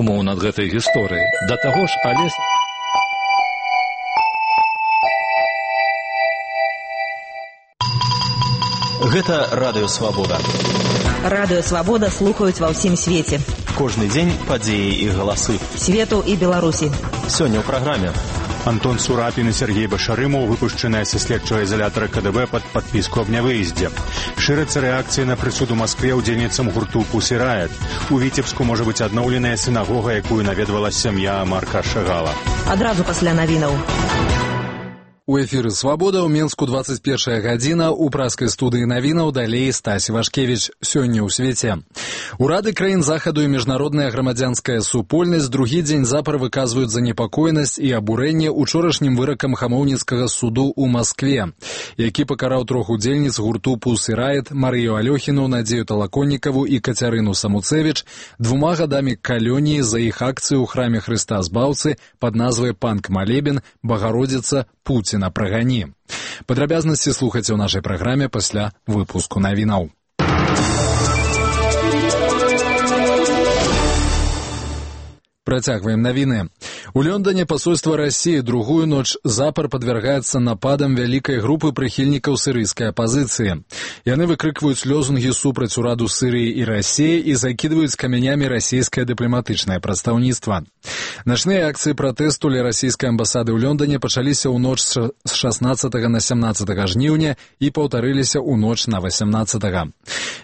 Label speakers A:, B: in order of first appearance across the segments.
A: думаў над гэтай гісторыяй. Да таго ж, Алесь...
B: Гэта Радыё Свабода.
C: Радыё Свабода слухаюць ва ўсім свеце.
B: Кожны дзень падзеі і галасы.
C: Свету і Беларусі.
B: Сёння ў праграме.
D: Антон Сурапін і Сергей Башарымаў выпушчаныя са следчага изолятора КДБ пад падпіску аб нявыездзе. Шырыцца рэакцыя на прысуд у Маскве ўдзельніцам гурту «Пусі Райт». У Віцебску можа быць адноўленая сінагога, якую наведвала сям'я Марка Шагала.
C: Адразу пасля навінаў.
E: У эфіры «Свабода» ў Менску 21 гадзіна, у праскай студыі навінаў далей Стась Вашкевіч. Сёння ў свеце. Урады краін захаду і міжнародная грамадзянская супольнасць другі дзень запар выказваюць занепакоенасць і абурэнне учорашнім выракам хамоўніцкага суду ў Маскве, які пакараў трох удзельніц гурту «Пусі Райт» Марыю Алёхіну, Надзею Талаконнікаву і Кацярыну Самуцевіч 2 гадамі калоніі за іх акцыю ў храме Хрыста Збаўцы пад назвай «Панк-малебен, Багародзіца, Пуціна прагані». Падрабязнасці слухайце ў нашай праграме пасля выпуску навінаў. Працягваем навіны. У Лондоне посольство России другую ноч запар подвергается нападам вялікай групы прыхільнікаў сірыйскай апозіцыі. Яны выкрыкваюць лозунгі супраць ураду Сірыі і России і закидываюць камянямі расійскае дыпламатычнае прадстаўніцтва. Начныя акцыі пратэсту ля расійскай амбасады ў Лондоне пачаліся ў ноч з 16 на 17 жніўня і паўтарыліся ў ноч на 18.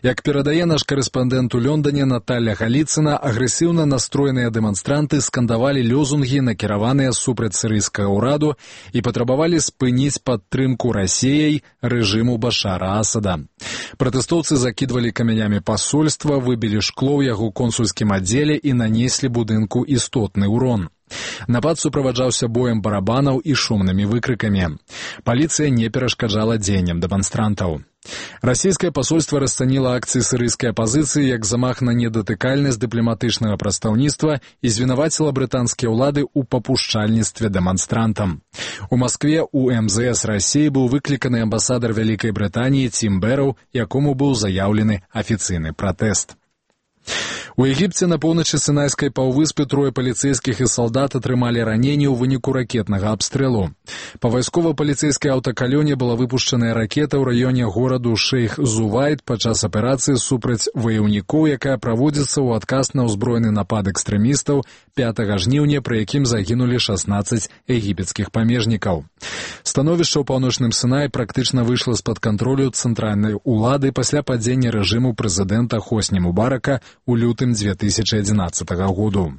E: Як перадае наш карэспандэнт у Лондоне Наталья Галіцына, агрэсіўна настроеныя дэманстранты скандавалі лозунгі, накіраваныя супраць сірыйскага ўраду і патрабавалі спыніць падтрымку Расіяй рэжыму Башара Асада. Пратэстоўцы закідвалі камянямі пасольства, выбілі шкло ў яго консульскім аддзеле і нанеслі будынку істотны ўрон. Напад суправаджаўся боем барабанаў і шумнымі выкрыкамі. Паліцыя не перашкаджала дзеянням дэманстрантаў. Расійскае пасольства расцаніла акцыі сірыйскай апозіцыі як замах на недатыкальнасць дыпламатычнага прадстаўніцтва і звінаваціла брытанскія ўлады ў папушчальніцтве дэманстрантам. У Маскве у МЗС Расіі быў выкліканы амбасадар Вялікай Брытаніі Тім Бэрроу, якому быў заяўлены афіцыйны пратэст. У Егіпце на поўначы Сінайскай паўвыспы 3 паліцэйскіх і салдат атрымалі раненні ў выніку ракетнага абстрэлу. Па вайскова-паліцэйскай аўтакалёне была выпушчаная ракета ў раёне гораду Шэйх-Зувайд падчас аперацыі супраць ваяўнікоў, якая праводзіцца ў адказ на ўзброены напад экстрэмістаў 5 жніўня, пры якім загінулі 16 егіпецкіх памежнікаў. Становішча ў паўночным Сінаі практычна выйшла з-пад кантролю цэнтральнай улады пасля падзення рэжыму прэзідэнта Хосні Мубарака у лютым 2011 году.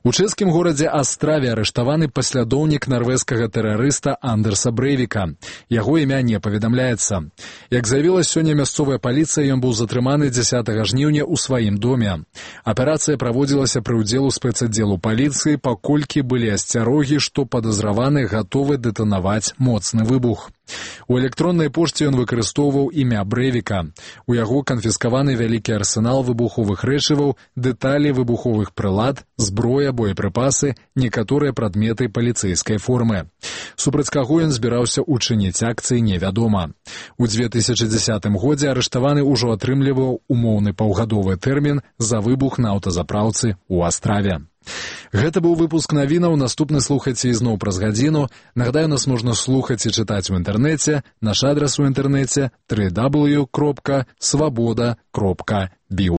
E: У чэшскім горадзе Астраве арыштаваны паслядоўнік нарвежскага тэрарыста Андерса Брэйвіка. Яго імя не паведамляецца. Як заявіла сёння мясцовая паліцыя, ён быў затрыманы 10 жніўня ў сваім доме. Аперацыя праводзілася пры ўдзелу спецаддзелу паліцыі, паколькі былі асцярогі, што падазраваны гатовы дэтанаваць моцны выбух. У электроннай пошце ён выкарыстоўваў імя Брэйвіка. У яго канфіскаваны вялікі арсенал выбуховых рэчываў, дэталі выбуховых прылад, зброя, боепрыпасы, некаторыя прадметы паліцэйскай формы. Супраць каго ён збіраўся учыніць акцыі, невядома. У 2010 годзе арыштаваны ўжо атрымліваў умоўны паўгадовы тэрмін за выбух на аўтазапраўцы ў Астраве. Гэта быў выпуск навінаў, наступны слухайце ізноў праз гадзіну. Нагадаю, нас можна слухаць і чытаць у інтэрнэце. Наш адрас у інтэрнэце www.swaboda.biu.